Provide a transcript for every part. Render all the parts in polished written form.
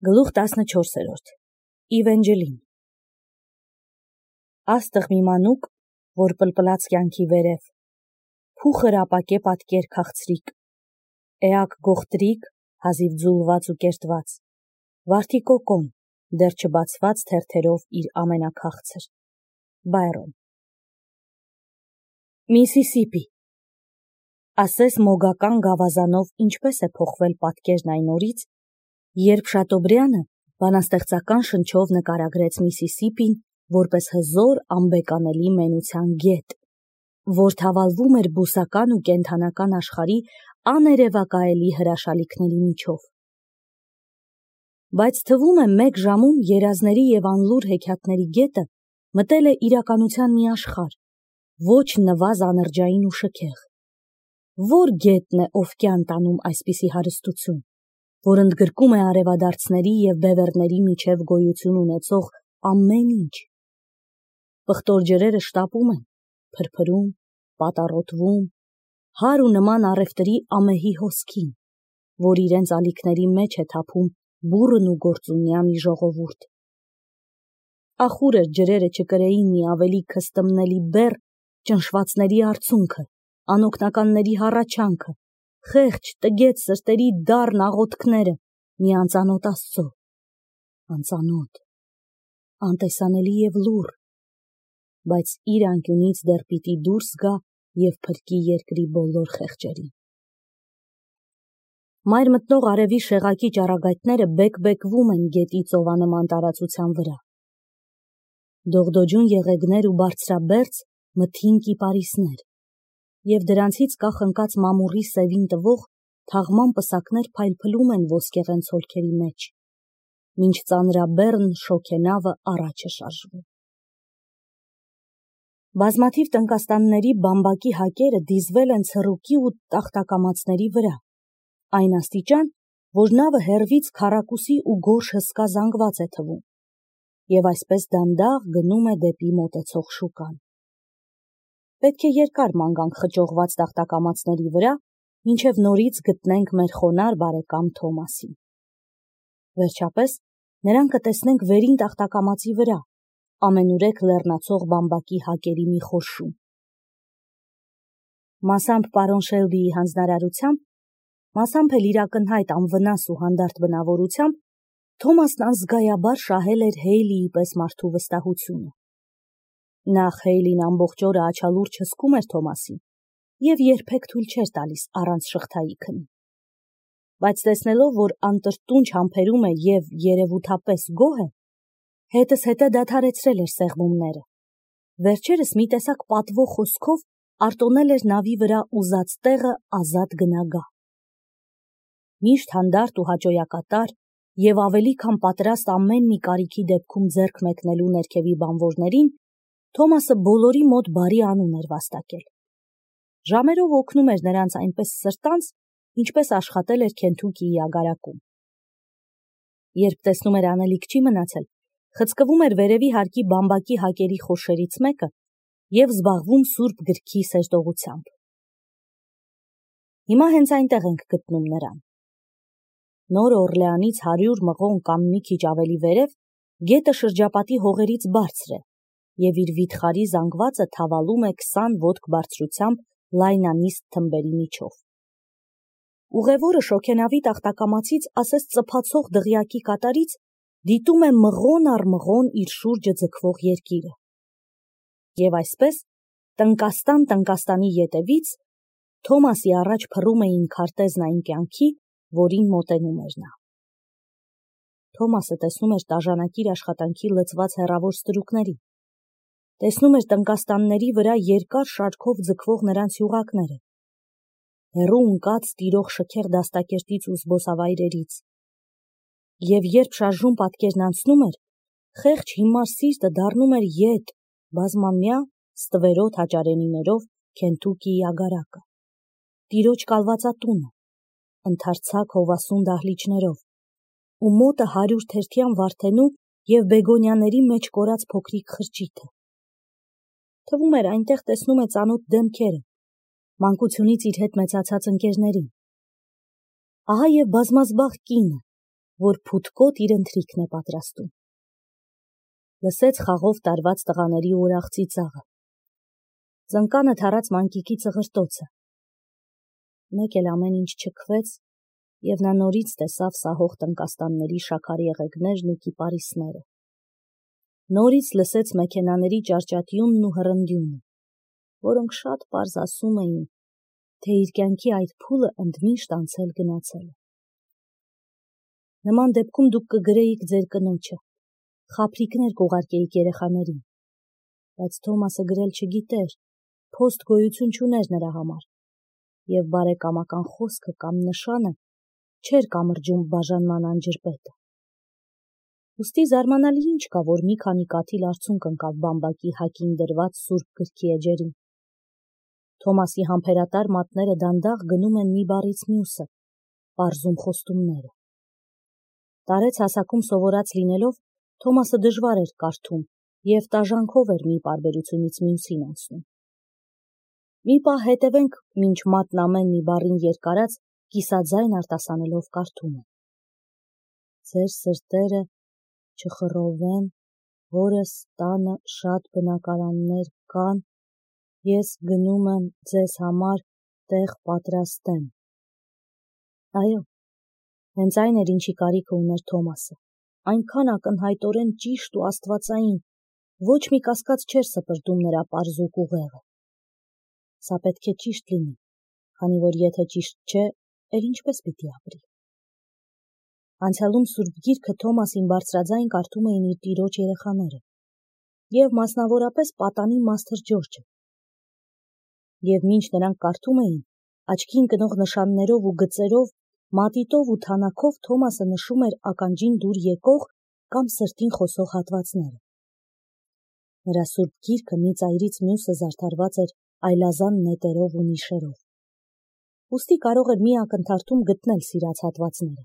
Գլուխ 14 Իվենջելին Աստղ մի մանուկ, որ պլպլաց կյանքի վերև, փուխր ապակե պատկեր քաղցրիկ, էակ գողտրիկ, հազիվ ձուլված ու կերտված, վարդի կոկոն, դեռ չբացված թերթերով իր ամենաքաղցր, Բայրոն Միսիսիպի Ասես մոգական գավազանով ինչպես է փոխվել պատկերն այն օրից, երբ Շատոբրյանը բանաստեղծական շնչով նկարագրեց Միսիսիպին որպես հզոր անբեկանելի մենության գետ, որ թավալվում էր բուսական ու կենդանական աշխարհի աներևակայելի հրաշալիքների միջով։ Բայց թվում է մեկ ժամում երազների եւ անլուր հեքիաթների գետը մտել է իրականության մի աշխարհ, ոչ նվազ անրջային ու շքեղ։ Որ գետն է ով կյան տանում այսպիսի հարստություն, որ ընդգրկում է արևադարձների և բևեռների միջև գոյություն ունեցող ամեն ինչ։ Պղտոր ջրերը շտապում են, փրփրում, պատառոտվում, հար ու նման առևտրի ամեհի հոսքին, որ իրենց ալիքների մեջ է թափում բուռն ու գործունյա մի ժողովուրդ։ Ախուր էր ջրերը չկրեին մի ավելի քստմնելի բեռ ճնշվածների արցունքը, անօգնականների հառաչանքը, խեղճ տգետ սրտերի դառն աղոթքները մի անծանոթ Աստծո, անծանոթ, անտեսանելի և լուռ, բայց իր անկյունից դեռ պիտի դուրս գա և փրկի երկրի բոլոր խեղճերին։ Մայր մտնող արևի շեղակի ճառագայթները բեկ-բեկվում են գետի ծովանման տարածության վրա։ Դողդոջուն եղեգներ ու բարձրաբերձ մթին կիպարիսներ, և դրանցից կախնկած մամուռի սևին տվող թաղման պսակներ փայլփլում են ոսկեղեն ցոլքերի մեջ, մինչ ծանրաբեռն շոգենավը առաջ է շարժվում։ Բազմաթիվ տնկաստանների բամբակի հակերը դիզվել են ցռուկի ու տախտակամածների վրա, այն աստիճան, որ նավը հեռվից քառակուսի ու գորշ հսկա զանգված է թվում, և այսպես դանդաղ գնում է դեպի մոտեցող շուկան։ Պետք է երկար ման գանք խճողված տախտակամածների վրա, մինչև նորից գտնենք մեր խոնար բարեկամ Թոմասին։ Վերջապես նրան կտեսնենք վերին տախտակամածի վրա, ամենուրեք լեռնացող բամբակի հակերի մի խորշում։ Մասամբ պարոն Շելբիի հանձնարարությամբ, մասամբ էլ իր ակնհայտ անվնաս ու հանդարտ բնավորությամբ, Թոմասն անզգայաբար շահել էր Հեյլիի պես մարդու վստահությունը։ Նախ Հեյլին ամբողջ օրը աչալուրջ հսկում էր Թոմասին և երբեք թույլ չէր տալիս առանց շղթայի քնի։ Բայց տեսնելով, որ անտրտունջ համբերում է և երևութապես գոհ է, հետզհետե դադարեցրել էր սեղմումները, վերջերս մի տեսակ պատվո խոսքով արտոնել էր նավի վրա ուզած տեղը ազատ գնագա։ Միշտ հանդարտ ու հաճոյակատար և ավելի քան պատրաստ ամեն մի կարիքի դեպքում ձեռք մեկնելու ներքևի բանվորներին, Թոմասը բոլորի մոտ բարի անուն էր վաստակել։ Ժամերով օգնում էր նրանց այնպես սրտանց, ինչպես աշխատել էր Քենթուքիի ագարակում։ Երբ տեսնում էր անելիք չի մնացել, խցկվում էր վերևի հարկի բամբակի հակերի խորշերից մեկը և զբաղվում Սուրբ գրքի սերտողությամբ։ Հիմա հենց այնտեղ ենք գտնում նրան։ Նոր Օրլեանից 100 մղոն կամ մի քիչ ավելի վերև գետը շրջապատի հողերից բարձր է, և իր վիթխարի զանգվածը թավալում է 20 ոտք բարձրությամբ լայնանիստ թմբերի միջով։ Ուղևորը շոգենավի տախտակամածից ասես ծփացող դղյակի կատարից դիտում է մղոն առ մղոն իր շուրջը ձգվող երկիրը։ Եվ այսպես, տնկաստանի ետևից Թոմասի առաջ փռում էին քարտեզն այն կյանքի, որին մոտենում էր նա։ Թոմասը տեսնում էր տաժանակիր աշխատանքի լցված հեռավոր ստրուկներին, տեսնում էր տնկաստանների վրա երկար շարքով ձգվող նրանց յուղակները, հեռու ընկած տիրող շքեղ դաստակերտից ու զբոսավայրերից, և երբ շարժուն պատկերն անցնում էր, խեղճ հիմար սիրտը դառնում էր ետ, բազմամյա ստվերոտ հաճարենիներով Քենթուքիի ագարակը, տիրոջ կալվածատունը, ընդարձակ հովասուն դահլիճներով, ու մոտը 100 թերթյան վարդենու և բեգոնյաների մեջ կորած փոքրիկ խրճիթը։ Թվում էր այնտեղ տեսնում է ծանոթ դեմքերը, մանկությունից իր հետ մեծացած ընկերներին։ Ահա և բազմազբաղ կինը, որ փութկոտ իր ընթրիքն է պատրաստում։ Լսեց խաղով տարված տղաների ուրախ ծիծաղը։ Ծնկանը թարած մանկիկի ծղրտոցը։ Մեկ էլ ամեն ինչ չքվեց, և նա նորից տեսավ սահող տնկաստանների շաքար եղեգներն ու կիպարիսները։ Նորից լսեց մեքենաների ճարճատյունն ու հռնդյունը, որոնք շատ պարզ ասում էին, թե իր կյանքի այդ փուլը ընդմիշտ անցել գնացել է։ Նման դեպքում դուք կգրեիք ձեր կնոջը, խաբրիքներ կուղարկեիք երեխաներին, բայց Թոմասը գրել չգիտեր, փոստ գոյություն չուներ նրա համար, և բարեկամական խոսքը կամ նշանը չէր կամրջում բաժանման անջրպետը։ Ուստի զարմանալի ինչ կա, որ մի քանի կաթիլ արցունք ընկավ բամբակի հակին դրված սուրբ գրքի էջերին։ Թոմասի համբերատար մատները դանդաղ գնում են մի բառից մյուսը, պարզում խոստումները։ Տարեց հասակում սովորած լինելով, Թոմասը դժվար էր կարդում և տաժանքով էր մի պարբերությունից մյուսին անցնում։ Մի պահ հետևենք, մինչ մատն ամեն մի բառին երկարած, կիսաձայն արտասանելով կարդում է. Ձեր սրտերը չխռովեն, հորս տանը շատ բնակարաններ կան, ես գնում եմ ձեզ համար տեղ պատրաստեմ։ Այո, հենց այն էր, ինչի կարիքը ուներ Թոմասը, այնքան ակնհայտորեն ճիշտ ու աստվածային, ոչ մի կասկած չէր սպրտում նրա պարզուկ ուղեղը։ Սա պետք է ճիշտ լինի, քանի որ եթե ճիշտ չէ, էլ ինչպես պիտի ապրի։ Անցյալում Սուրբ Գիրքը Թոմասին բարձրաձայն կարդում էին իր տիրոջ երեխաները, և մասնավորապես պատանի Մաստր Ջորջը։ Եվ մինչ նրանք կարդում էին, աչքի ընկնող նշաններով ու գծերով, մատիտով ու թանաքով Թոմասը նշում էր ականջին դուր եկող կամ սրտին խոսող հատվածները։ Նրա Սուրբ Գիրքը մի ծայրից մյուսը զարդարված էր այլազան նետերով ու նիշերով։ Ուստի կարող էր մի ակնթարթում գտնել սիրած հատվածները,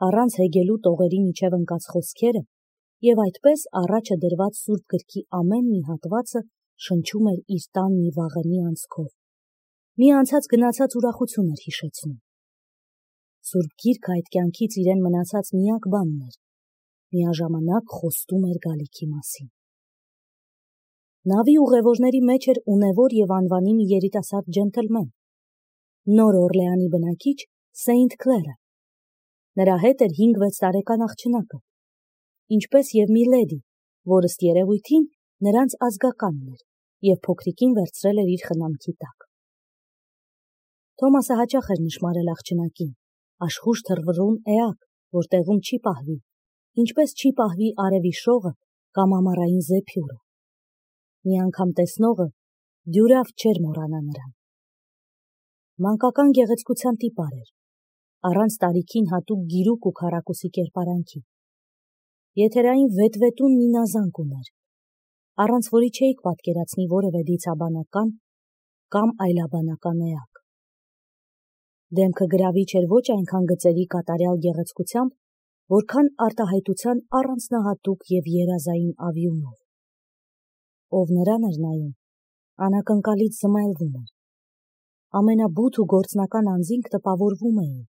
առանց հեգելու տողերի միջև ընկած խոսքերը, և այդպես առաջը դրված Սուրբ Գրքի ամեն մի հատվածը շնչում էր իր տան մի վաղեմի անցքով, մի անցած-գնացած ուրախություն էր հիշեցնում։ Սուրբ Գիրքը այդ կյանքից իրեն մնացած միակ բանն էր, միաժամանակ խոստում էր գալիքի մասին։ Նավի ուղևորների մեջ էր ունևոր և անվանի մի երիտասարդ ջենտլմեն, Նոր Օրլեանի բնակիչ Սեինթ Քլերը։ Նրա հետ էր 5-6 տարեկան աղջնակը, ինչպես և մի լեդի, որ ըստ երևույթին նրանց ազգականն էր և փոքրիկին վերցրել էր իր խնամքի տակ։ Թոմասը հաճախ էր նշմարել աղջնակին, աշխույժ թռվռուն էակ, որ տեղում չի պահվի, ինչպես չի պահվի արևի շողը կամ ամառային զեփյուռը։ Մի անգամ տեսնողը դյուրավ չէր մոռանա նրան։ Մանկական գեղեցկության տիպար էր, առանց տարիքին հատուկ գիրուկ ու քառակուսի կերպարանքի։ Եթերային վետվետուն մի նազանք ուներ, առանց որի չէիք պատկերացնի որևէ դիցաբանական կամ այլաբանական էակ։ Դեմքը գրավիչ էր ոչ այնքան գծերի կատարյալ գեղեցկությամբ, որքան արտահայտության առանձնահատուկ և երազային ավյունով։ Ով նրան էր նայում, անակնկալից զմայլվում էր։ Ամենաբութ ու գործնական անձինք տպավորվում էին,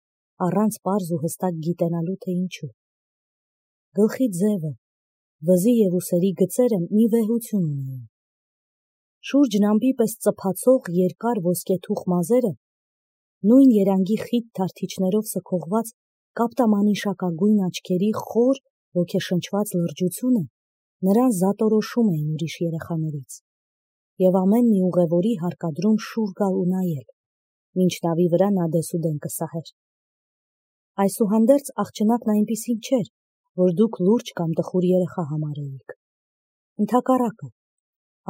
առանց պարզ ու հստակ գիտենալու, թե ինչու։ Գլխի ձևը, վզի և ուսերի գծերը մի վեհություն ունեին։ Շուրջն ամպի պես ծփացող երկար ոսկեթուխ մազերը, նույն երանգի խիտ թարթիչներով սքողված կապտամանիշակագույն աչքերի խոր, ոգեշնչված լրջությունը նրան զատորոշում էին ուրիշ երեխաներից, և ամեն մի ուղևորի հարկադրում շուռ գալ ու նայել, մինչ նավի վրա նա դեսուդեն կսահեր։ Այսուհանդերձ աղջնակն այնպիսին չէր, որ դուք լուրջ կամ տխուր երեխա համարեիք։ Ընդհակառակը,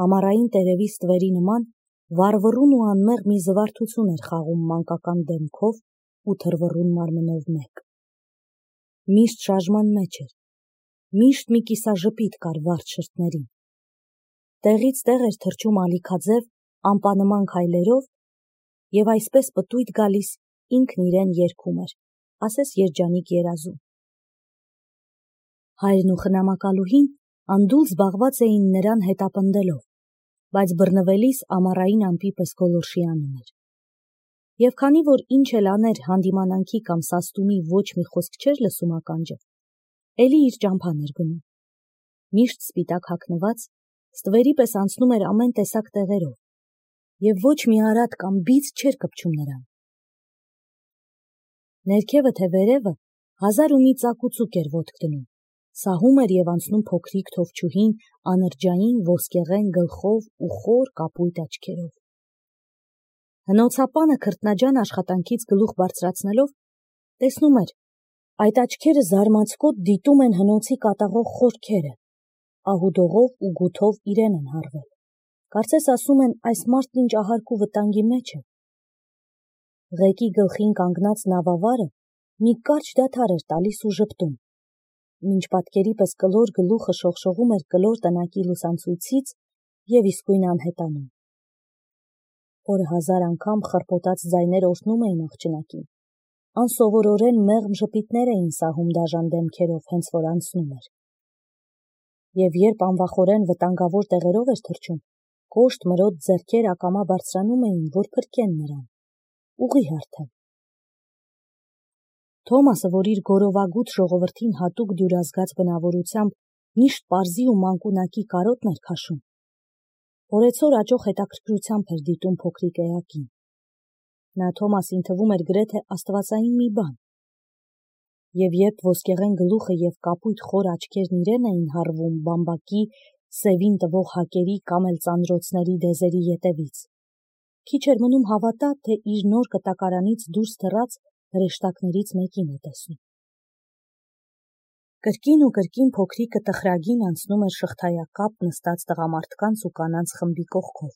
ամառային տերևի ստվերի նման վառվռուն ու անմեղ մի զվարթություն էր խաղում մանկական դեմքով ու թռվռուն մարմնով մեկ։ Միշտ շարժման մեջ էր, միշտ մի կիսաժպիտ կար վարդ շրթներին։ Տեղից տեղ էր թռչում ալիքաձև, ամպանման քայլերով և այսպես պտույտ գալիս ինքն իրեն երգում էր, ասես երջանիկ երազում։ Հայրն ու խնամակալուհին անդուլ զբաղված էին նրան հետապնդելով, բայց բռնվելիս ամառային ամպի պես գոլորշի անում էր։ Եվ քանի որ ինչ էլ աներ հանդիմանանքի կամ սաստումի ոչ մի խոսք չէր լսում ականջը, էլի իր ճամփան էր գնում։ Միշտ սպիտակ հագնված, ստվերի պես անցնում էր ամեն տեսակ տեղերով, եւ ոչ մի արատ կամ բիծ չէր կպչում նրան։ Ներքևը թե վերևը 1000 ու մի ծակուցուկ էր ոտք դնում, սահում էր եւ անցնում փոքրիկ թովչուհին անրջային ոսկեղեն գլխով ու խոր կապույտ աչքերով։ Հնոցապանը քրտնաջան աշխատանքից գլուխ բարձրացնելով տեսնում էր, այդ աչքերը զարմացկոտ դիտում են հնոցի կատաղող խորքերը, ահուդողով ու գութով իրեն են հարվել։ Կարծես ասում են, այս մարդն ինչ ահարկ ու վտանգի մեջ է։ Ղեկի գլխին կանգնած նավավարը մի կարճ դադար էր տալիս ու ժպտում, մինչ պատկերի պես կլոր գլուխը շողշողում էր կլոր տնակի լուսանցույցից եւ իսկույն անհետանում։ Օրը 1000 անգամ խռպոտած ձայներ օրհնում էին աղջնակին, անսովորորեն մեղմ ժպիտներ էին սահում դաժան դեմքերով, հենց որ անցնում էր։ Եվ երբ անվախորեն վտանգավոր տեղերով էր թռչում, կոշտ մրոտ ձեռքեր ակամա բարձրանում էին, որ փրկեն նրան, ուղի հարթեն։ Թոմասը, որ իր գորովագութ ժողովրդին հատուկ դյուրազգաց բնավորությամբ միշտ պարզի ու մանկունակի կարոտն էր քաշում, օրեցօր աճող հետաքրքրությամբ էր դիտում փոքրիկ էակին։ Նա Թոմասին թվում էր գրեթե աստվածային մի բան։ Եվ երբ ոսկեղեն գլուխը եւ կապույտ խոր աչքերն իրեն էին հառվում բամբակի սևին տվող հակերի կամ էլ ծանրոցների դեզերի ետևից, քիչ էր մնում հավատա, թե իր նոր կտակարանից դուրս թռած հրեշտակներից մեկին է տեսնում։ Կրկին ու կրկին փոքրիկը տխրագին անցնում էր շղթայակապ նստած տղամարդկանց ու կանանց խմբի կողքով։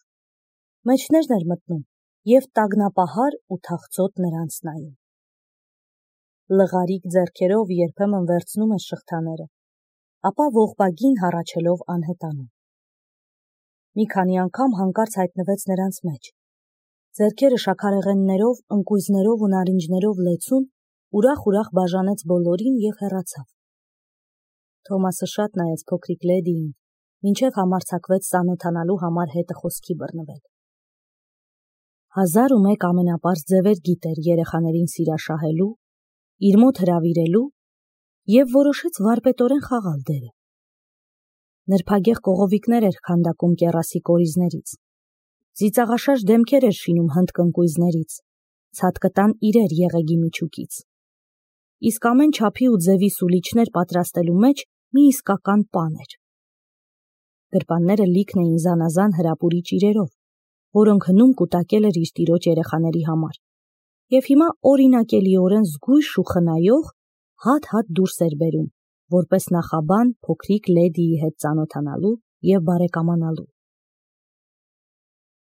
Մեջներն էր մտնում եւ տագնապահար ու թախծոտ նրանց նայում։ Լղարիկ ձեռքերով երբեմն վերցնում էր շղթաները, ապա ողբագին հառաչելով անհետանում։ Մի քանի անգամ հանկարծ հայտնվեց նրանց մեջ։ Ձեռքերը շաքարեղեններով, ընկույզներով ու նարինջներով լեցուն, ուրախ բաժանեց բոլորին եւ հեռացավ։ Թոմասը շատ նայեց փոքրիկ լեդիին, մինչև համարձակվեց ծանոթանալու համար հետը խոսքի բռնվել։ 1001 ամենապարզ ձևեր գիտեր երեխաներին սիրաշահելու, իր մոտ հրավիրելու եւ որոշեց վարպետորեն խաղալ դերը։ Նրբագեղ կողովիկներ էր քանդակում կեռասի կորիզներից, ծիծաղաշաշ դեմքեր էր շինում հնդկընկույզներից, ցատկտան իրեր եղեգի միջուկից։ Իսկ ամեն չափի ու ձևի սուլիչներ պատրաստելու մեջ մի իսկական պան էր։ Գրպանները լիքն էին զանազան հրապուրիչ իրերով, որոնք հնում կուտակել էր իր տիրոջ երեխաների համար, եւ հիմա օրինակելիորեն զգույշ ու խնայող հատ դուրս էր բերում, որպես նախաբան փոքրիկ լեդիի հետ ծանոթանալու եւ բարեկամանալու։